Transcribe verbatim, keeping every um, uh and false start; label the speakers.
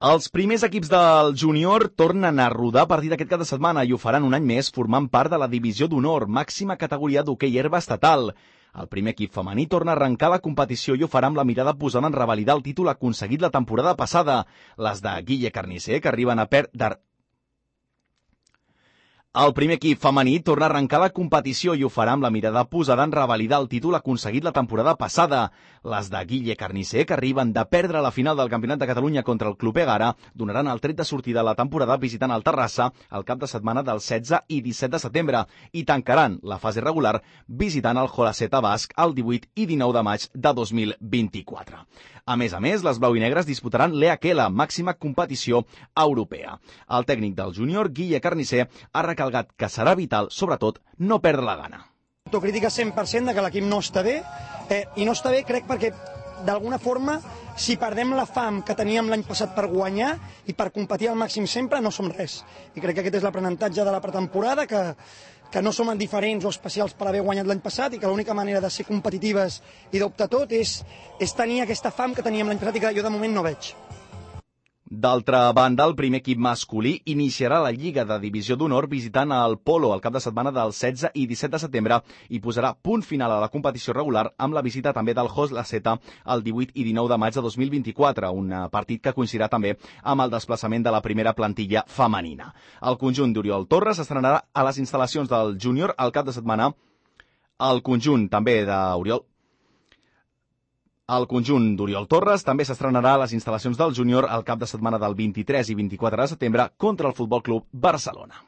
Speaker 1: Els primers equips del júnior tornen a rodar a partir d'aquest cap de setmana i ho faran un any més formant part de la divisió d'honor, màxima categoria d'hoquei herba estatal. El primer equip femení torna a arrencar la competició i ho farà amb la mirada posada en revalidar el títol aconseguit la temporada passada. Les de Guille Carnicer, que arriben a perdre... El primer equip femení torna a arrencar la competició i ho farà amb la mirada posada en revalidar el títol aconseguit la temporada passada. Les de Guille Carnicer, que arriben de perdre la final del Campionat de Catalunya contra el Club Egara, donaran el tret de sortida a la temporada visitant el Terrassa el cap de setmana del setze i disset de setembre i tancaran la fase regular visitant el Jolaceta Basc el divuit i dinou de maig de dos mil vint-i-quatre. A més a més, les blau i negres disputaran l'E H L, màxima competició europea. El tècnic del júnior, Guille Carnicer, ha recalcat que serà vital, sobretot, no perdre la gana.
Speaker 2: Autocrítica cent per cent de que l'equip no està bé, eh, i no està bé crec perquè d'alguna forma si perdem la fam que teníem l'any passat per guanyar i per competir al màxim sempre no som res. I crec que aquest és l'aprenentatge de la pretemporada, que, que no som diferents o especials per haver guanyat l'any passat i que l'única manera de ser competitives i d'optar tot és, és tenir aquesta fam que teníem l'any passat i que jo de moment no veig.
Speaker 1: D'altra banda, el primer equip masculí iniciarà la Lliga de Divisió d'Honor visitant el Polo el cap de setmana del setze i disset de setembre i posarà punt final a la competició regular amb la visita també del Jolaceta el divuit i dinou de maig de dos mil vint-i-quatre, un partit que coincidirà també amb el desplaçament de la primera plantilla femenina. El conjunt d'Oriol Torres estrenarà a les instal·lacions del júnior el cap de setmana. El conjunt també d'Oriol El conjunt d'Oriol Torres també s'estrenarà a les instal·lacions del júnior el cap de setmana del vint-i-tres i vint-i-quatre de setembre contra el Futbol Club Barcelona.